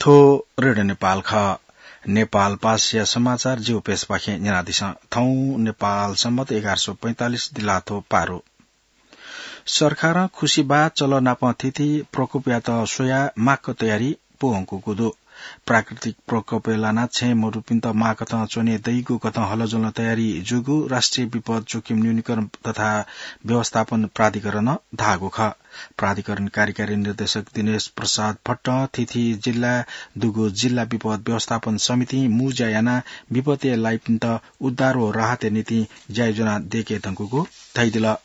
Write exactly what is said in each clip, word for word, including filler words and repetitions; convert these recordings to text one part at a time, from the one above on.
थ्व रेडियो नेपाल खः। नेपाल पासया समाचार जिगु पेजपाखें न्यनादिसँ। थौं नेपाल सम्बत एघार सय पैंतालिस दिलाथ्व पारु। सरकारं खुसिबाः चलः नाप थीथी प्रकोपयात स्वयाः माक्क तयारी पूवंकूगु दु। प्राकृतिक प्रकोपय् लानाः छेँ मदुपिन्त माःकथं च्वने दइगु कथं हलज्वलं तयारी जूगु राष्ट्रिय विपद जोखिम न्यूनीकरण तथा व्यवस्थापन प्राधिकरणं धाःगु खः। प्राधिकरण कार्यकारी निर्देशक दिनेश प्रसाद भट्टं थीथी जिल्लाय् दुगु जिल्ला विपद व्यवस्थापन समितिं मुँज्या यानाः विपदय् लाइपिन्त उद्धार व राहतया निंतिं ज्या योजना दय्के धुंकूगु धयादिल।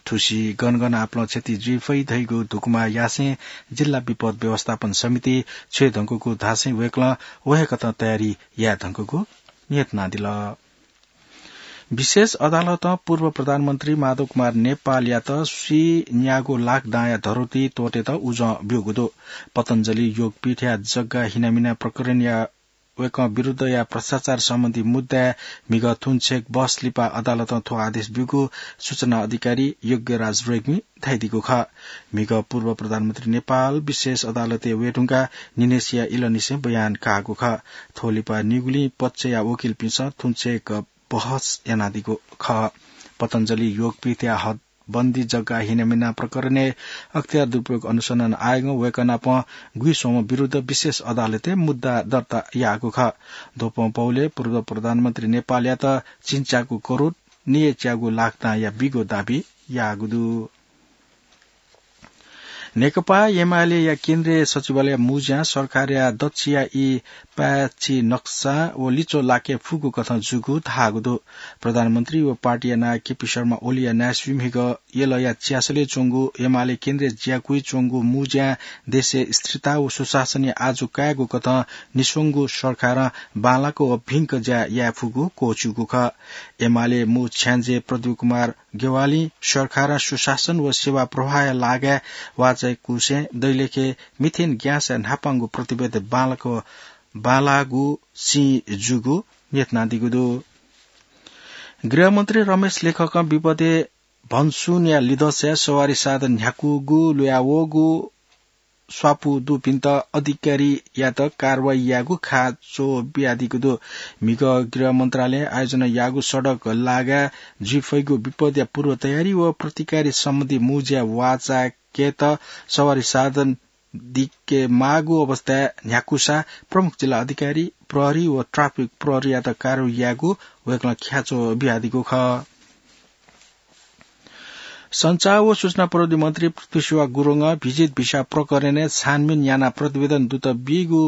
थुसी गनगन आपालं क्षति जुइ फइ धइगु धुकुमा यासें जिल्ला विपद व्यवस्थापन समिति छ्वये धुंकूगु धासें वय्कलं व हे कथं तयारी याये धुंकूगु न्ह्यथनादिल। विशेष अदालतं पूर्व प्रधानमन्त्री माधव कुमार नेपालयात स्वीन्यागू लाख दांया धरोती त्वःतेत उजं ब्यूगु दु। पतञ्जलि योगपीठया जग्गा हिनामिना प्रकरणया वय्कः विरुद्धया भ्रष्टाचार सम्बन्धी मुद्दाय् म्हिगः थुन्चेक बहस लिपा अदालतं थ्व आदेश ब्यूगु सूचना अधिकारी योग्यराज रेग्मी धयादीगु खः। म्हिगः पूर्व प्रधानमन्त्री नेपाल विशेष अदालतय् वये धुंकाः निनेसिया इलंनिसें बयान काःगु खः। थ्व लिपा निगुलिं पक्षया वकिलपिन्सं थुन्चेक बहस यानादीगु खः। पतञ्जलि योगपीठया हदबन्दी जग्गा हिनामिना प्रकरणय् अख्तियार दुरुपयोग अनुसन्धान आयोगं वय्कः नाप गुइस्वम्ह विरुद्ध विशेष अदालतय् मुद्दा दर्ता याःगु खः। द्वपं पौले पूर्व प्रधानमन्त्री नेपालयात चिन्च्यागू करोड नयेच्यागू लाख दांया बीगु दाबी याःगु दु। नेकपा एमालेया केन्द्रीय सचिवालय मुँज्यां सरकारया दच्छिया ई पाय्छि नक्सा व लिच्वः लाके फुगु कथं जूगु धाःगु दु। प्रधानमन्त्री व पार्टीया नायः केपी शर्मा ओलीया नायःसुइ म्हिगः यलया च्यासलय् च्वंगु एमाले केन्द्रीय ज्याकुइ च्वंगु मुँज्यां देशय् स्थिरता व सुशासनया आजु कायेगु कथं निस्वंगु सरकारं बांलाक व भिंक ज्या याये फुगु क्वःछिउगु खः। एमाले मू छ्याञ्जे प्रदीप कुमार गेवालीं सरकारं सुशासन व सेवा प्रवाहया लागाय् वाःचाय्कुसें दैलेखे मिथेन ग्याँसया न्हापांगु प्रतिवेदन बांलाक बांलाःगु सिं जूगु न्ह्यथनादीगु दु। गृहमन्त्री रमेश लेखकं विपदय् भन्सुनया लिधंसाय् सवारी साधन न्ह्याकूगु लुयावःगु स्वापू दुपिन्त अधिकारीयात कारवाही यायेगु ख्याच्वः बियादीगु दु। म्हिगः गृह मन्त्रालयं आयोजना याःगु सडक लागाय् जुइ फइगु विपदया पूर्व तयारी व प्रतिकारी सम्बन्धी मुँज्या वाःचाय्केत सवारी साधन दिके माःगु अवस्थाय् न्ह्याकूसा प्रमुख जिल्ला अधिकारी, प्रहरी व ट्राफिक प्रहरीयात कारवाही यायेगु वय्कलं ख्याच्वः बियादीगु खः। सञ्चार व सूचना प्रविधि मन्त्री पृथ्वीसेवा गुरुङं भिजिट भिसा प्रकरणय् छानबिन यानाः प्रतिवेदन दुत बीगु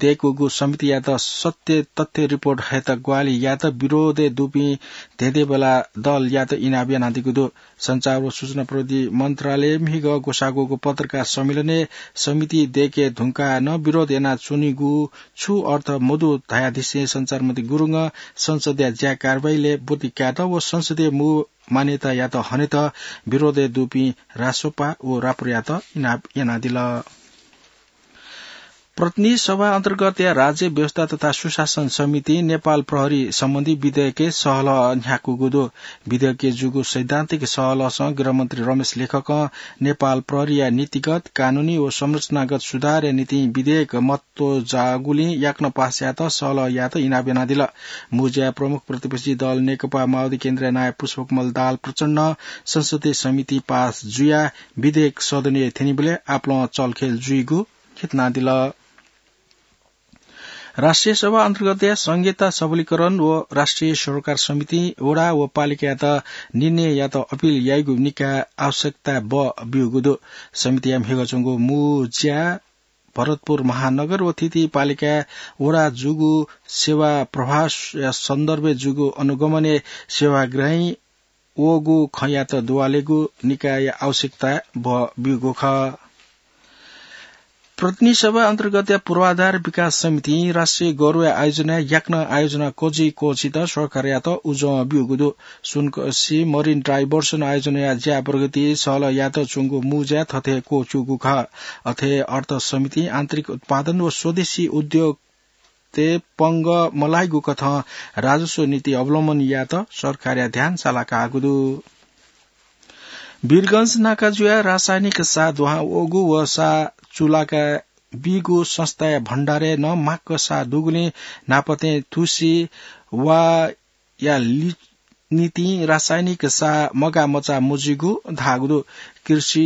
दय्कूगु समितियात सत्य तथ्य रिपोर्ट हयेत ग्वाहालि यायेत विरोधय् दुपिं धेंधेंबेला दलयात इनाप यानादीगु दु। सञ्चार व सूचना प्रविधि मन्त्रालयय् म्हिगः ग्वसाः ग्वःगु पत्रकार सम्मेलनय् समिति दय्के धुंकाः नं विरोध यानाच्वनीगु छु अर्थ मदु धयादिसें सञ्चार मन्त्री गुरुङं संसदया ज्या कारवाहीलय् ब्वति कायेत व संसदीय मू मान्यतायात हनेत विरोधय् दुपिं रासोपा व राप्रयात इनाप यानादिल। प्रतिनिधि सभा अन्तर्गतया राज्य व्यवस्था तथा सुशासन समितिं नेपाल प्रहरी सम्बन्धी विधेयकय् सहलह न्ह्याकूगु दु। विधेयकय् जूगु सैद्धान्तिक सहलहसं गृहमन्त्री रमेश लेखकं नेपाल प्रहरीया नीतिगत, कानूनी व संरचनागत सुधारया निंतिं विधेयक महत्व जाःगुलिं याकनं पास यायेत सहलह यायेत इनाप यानादिल। मुँज्याय् प्रमुख प्रतिपक्षी दल नेकपा माओवादी केन्द्रया नायः पुष्पकमल दाहाल प्रचण्डं संसदीय समितिं पास जुयाः विधेयक सदनय् थ्यनीबलय् आपालं चलखेल जुइगु न्ह्यथनादिल। राष्ट्रिय सभा अन्तर्गतया संघीयता सबलीकरण व राष्ट्रिय सरोकार समितिं वडा व पालिकायात निर्णय यायेत अपिल याइगु निकाय आवश्यकता बः ब्यूगु दु। समितिया म्हिगः च्वंगु मुँज्याय् भरतपुर महानगर व थीथी पालिकाय् वडा जूगु सेवा प्रवाहया सन्दर्भय् जूगु अनुगमनय् सेवाग्राहीं वःगु खँयात दुवालेगु निकायया आवश्यकता बः ब्यूगु खः। प्रतिनिधि सभा अन्तर्गतया पूर्वाधार विकास समितिं राष्ट्रिय गौरवया आयोजनाय् याकनं आयोजना क्वजि क्वःछित सरकारयात उजं ब्यूगु दु। सुनकसि मरिन डाइभर्सन आयोजनाया ज्या प्रगति सहलह यायेत च्वंगु मुँज्याय् थथे क्वःछिउगु खः। अथे अर्थ समितिं आन्तरिक उत्पादन व स्वदेशी उद्योग ते पंगः मलाइगु कथं राजस्व नीति अवलम्बन यायेत सरकारया ध्यान सालाकाःगु दु। वीरगंज नाका जुयाः रासायनिक साः दुहां वःगु व साः चुलाका बीगु संस्थाया भण्डारय् नं माक्क साः दुगुलिं न्हापाथें थुसी वा या लि-, निंतिं रासायनिक साः मगाः मचाः मजुइगु धाःगु दु। कृषि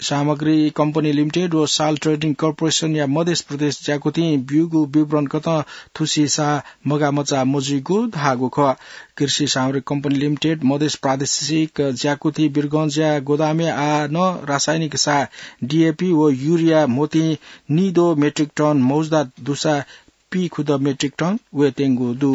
सामग्री कम्पनी लिमिटेड व साल ट्रेडिङ कर्पोरेसनया मधेस प्रदेश ज्याकुथिं ब्यूगु विवरण कथं थुसी साः मगाः मचाः मजुइगु धाःगु खः। कृषि सामग्री कम्पनी लिमिटेड मधेस प्रादेशिक ज्याकुथि वीरगंजया गोदामय् आः नं रासायनिक साः डीएपी व युरिया म्होतिं निदँ मेट्रिक टन मौजदार दुसा पीखुदँ मेट्रिक टन वयेत्यंगु दु।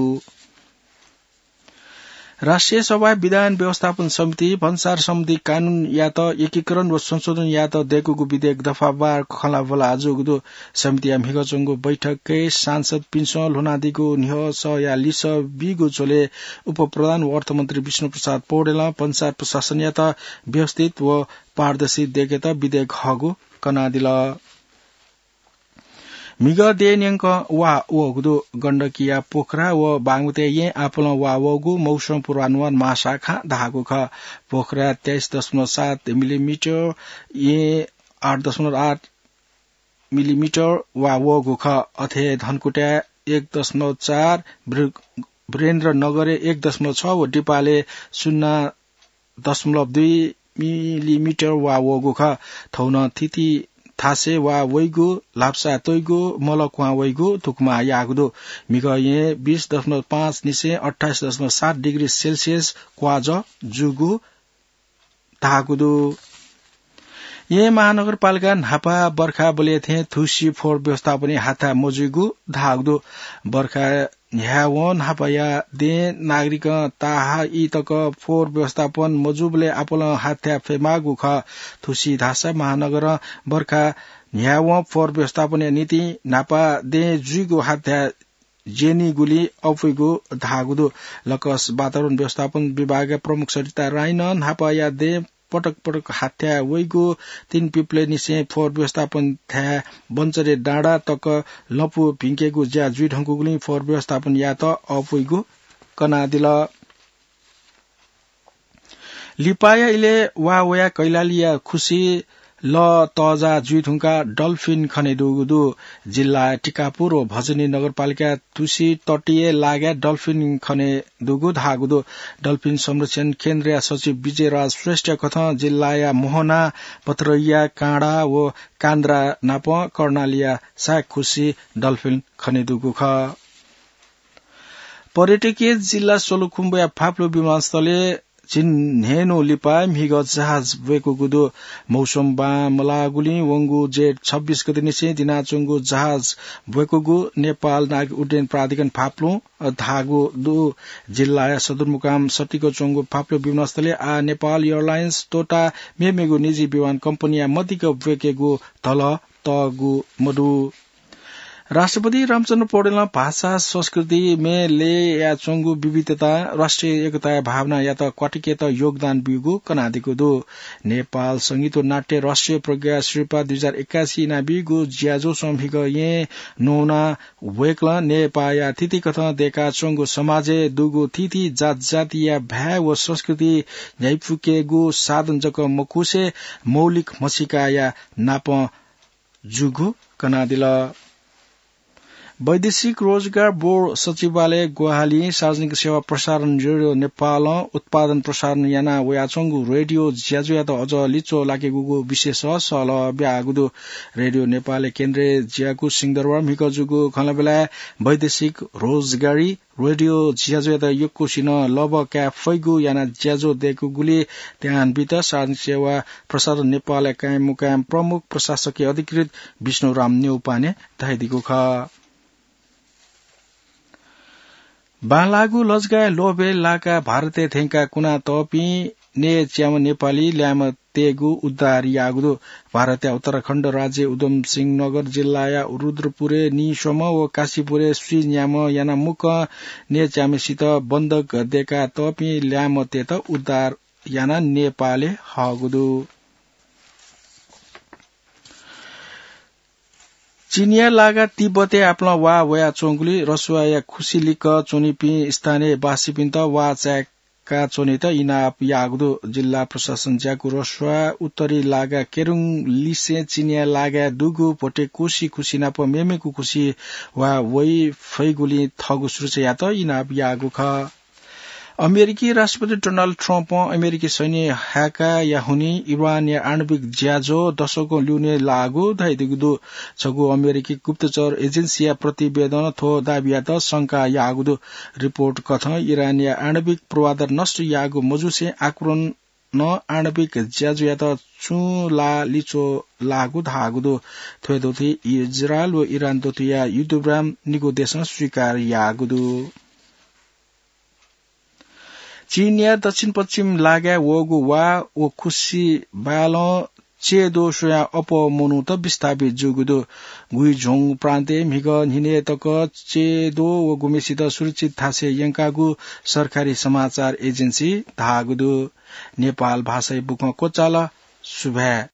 राष्ट्रिय सभाया विधान व्यवस्थापन समिति भन्सार सम्बन्धी कानूनयात एकीकरण व संशोधन यायेत दय्कूगु विधेयक दफावार खँल्हाबल्हा जूगु दु। समितिया म्हिगः च्वंगु बैठकय् सांसदपिन्सं ल्ह्वनादीगु न्ह्यसःया लिसः बीगु झ्वलय् उपप्रधान व अर्थमन्त्री विष्णुप्रसाद पौडेलं भन्सार प्रशासनयात व्यवस्थित व पारदर्शी दय्केत विधेयक हःगु कनादिल। म्हिगः देय् न्यंकं वा वःगु दु। गण्डकीया पोखरा व बागमतीया येँय् आपालं वा वःगु मौसम पूर्वानुमान महाशाखां धाःगु खः। पोखराय् तेइस दशमलव सात मिलिमिटर, येँय् आठ दशमलव आठ मिलिमिटर वा वःगु खः। अथे धनकुटाय् एक दशमलव चार, वीर-, वीरेन्द्रनगरय् एक दशमलव छ व दिपालय् शून्य दशमलव दुई मिलिमिटर वा वःगु खः। थौं नं थिति थासय् वा वइगु, लाप्सा त्वइगु, मल क्वहां वइगु धुकुमा याःगु दु। म्हिगः येँय् बीस दशमलव पाँच निसें अट्ठाइस दशमलव सात डिग्री सेल्सियस क्वाजः जूगु धाःगु दु। येँ महानगरपालिकां न्हापा बर्खा बलय् थें थुसी फोहोर व्यवस्थापनय् हाथाय् मजुइगु धाःगु दु। बर्खा न्ह्यावं न्हापाया दें नागरिकं ताहाःइ तक फोहोर व्यवस्थापन मजूबलय् आपालं हाथाय् फयेमाःगु खः। थुसी धाःसा महानगरं बर्खा न्ह्यावं फोहोर व्यवस्थापनया निंतिं न्हापा दें जुइगु हाथाय् ज्यनीगुलिं अपुइगु धाःगु दु। लकस वातावरण व्यवस्थापन विभागया प्रमुख सरिता राईं नं न्हापाया दें पटक पटक हाथाय् वइगु, तीन पिप्लेनिसें फोहोर व्यवस्थापन थाय् बन्चरे डाँडा तक लँपु भिंकेगु ज्या जुइधुंकूगुलिं फोहोर व्यवस्थापन यायेत अपुइगु कनादिल। लिपाया इलय् वा वयाः कैलालीया खुसि लः तःजाः जुइधुंकाः डल्फिन खनेदुगु दु। जिल्लाया टिकापुर व भजनी नगरपालिकाया तुसी तटीय लागाय् डल्फिन खनेदुगु धाःगु दु। डल्फिन संरक्षण केन्द्रया सचिव विजयराज श्रेष्ठया कथं जिल्लाया मोहना, पथरैया, काँडा व कान्द्रा नापं कर्णालीया साय् खुसि डल्फिन खनेदुगु खः। पर्यटकीय जिल्ला सोलुखुम्बुया फाप्लु विमानस्थलय् झिंन्हय्‌न्हु लिपा म्हिगः जहाज ब्वय्‌कूगु दु। मौसम बां मलाःगुलिं वंगु जेठ छब्बीस गतेनिसें दिनाच्वंगु जहाज ब्वय्‌कूगु नेपाल नागरिक उड्डयन प्राधिकरण फाप्लुं धाःगु दु। जिल्लाया सदरमुकाम सटिक च्वंगु फाप्लु विमानस्थलय् आः नेपाल एयरलाइन्स तोता मेमेगु निजी विमान कम्पनीया मदिक्क ब्वय्‌केगु धलः तःगु मदु। राष्ट्रपति रामचन्द्र पौडेलं भाषा संस्कृति म्ये लय्‌याच्वंगु विविधतां राष्ट्रिय एकताया भावनायात क्वातुकेत योगदान ब्यूगु कनादीगु दु। नेपाल संगीत व नाट्य राष्ट्रिय प्रज्ञा सिरपाः दुई हजार एक्कासी इनाबीगु ज्याझ्वलय् म्हिगः येँ न्ववानाः वय्‌कलं नेपाःया थीथी कथं दय्‌काच्वंगु समाजय् दुगु थीथी जातजातिया भाय् व संस्कृति न्ह्याइपुकेगु साधन जक मखुसे मौलिक म्हसीकाया नापं जूगु कनादिल। वैदेशिक रोजगार बोर्ड सचिवालय ग्वाहालिं सार्वजनिक सेवा प्रसारण रेडियो नेपालं उत्पादन प्रसारण याना वयाच्वंगु रेडियो ज्याझ्वःयात अझ लिच्वः लाकेगुगु विशेष सहलह ब्याःगु दु। रेडियो नेपालया केन्द्रीय ज्याकू सिंहदरबार म्हिगः जूगु खँल्हाबल्हाय् वैदेशिक रोजगारी रेडियो ज्याझ्वःयात यक्वसिनं लभ्व काये फइगु यानाः ज्याझ्वः दय्‌कूगुलिइ ध्यान बीत सार्वजनिक सेवा प्रसारण नेपालया कायम मुकायम प्रमुख प्रशासकीय अधिकृत विष्णुराम न्यौपाने धयादीगु खः। बांलाःगु लजगाःया लोभय् लाकाः भारतय् थ्यंकाः कुनातःपिं नये च्याम्ह नेपाली ल्याय्म्ह तयेगु उद्धार याःगु दु। भारतया उत्तराखण्ड राज्य उधम सिंह नगर जिल्लाया रुद्रपुरय् नीस्वम्ह व काशीपुरय् स्वीन्याम्ह यानाः मुक्कं नये च्याम्हसित बन्धक दय्‌कातःपिं ल्याय्म्हतय्‌त उद्धार यानाः नेपालय् हःगु दु। चीनया लागाः तिब्बतय् आपालं वा वयाच्वंगुलिं रसुवाया खुसि लिक्क च्वनीपिं स्थानीय बासिपिन्त वा चाये का च्वनेत इनाप याःगु दु। जिल्ला प्रशासन ज्याकू रस्वाः उत्तरी लागा केरुङ लिसें चिनिया लागा दुगु भोटे कुसि कुसि नाप मेमेकु कुसि वा वइ फइगुलिं थःगु सुरक्षायात इनाप याःगु खः। अमेरिकी राष्ट्रपति डोनाल्ड ट्रम्पं अमेरिकी सैन्य हाय्काया हुनिं इरानया आणविक ज्याझ्वः दशकं ल्यूने लाःगु धयादीगु दु। छगू अमेरिकी गुप्तचर एजेन्सीया प्रतिवेदनं थ्व दाबीयात शंका याःगु दु। रिपोर्ट कथं इरानया आणविक पूर्वाधार नष्ट याःगु मजुसे आक्रमणं आणविक ज्याझ्वःयात छुं ला लिच्वः लाःगु धाःगु दु। थ्व दथुइ इजरायल व इरान दथुइया युद्धविराम निगू देशं स्वीकार याःगु दु। चीनया दक्षिण पश्चिम लागाय् वःगु वा व खुसि बालं चेदो स्वयाः अप्वः मनूत विस्थापित जूगु दु। गुइझोङ प्रान्तय् म्हिगः न्हिनय् तक चेदो व गुम्हेसित सुरक्षित थासय् यंकागु सरकारी समाचार एजेन्सी धाःगु दु। नेपाल भाषाया बुखँ क्वचाल। सुभाय्।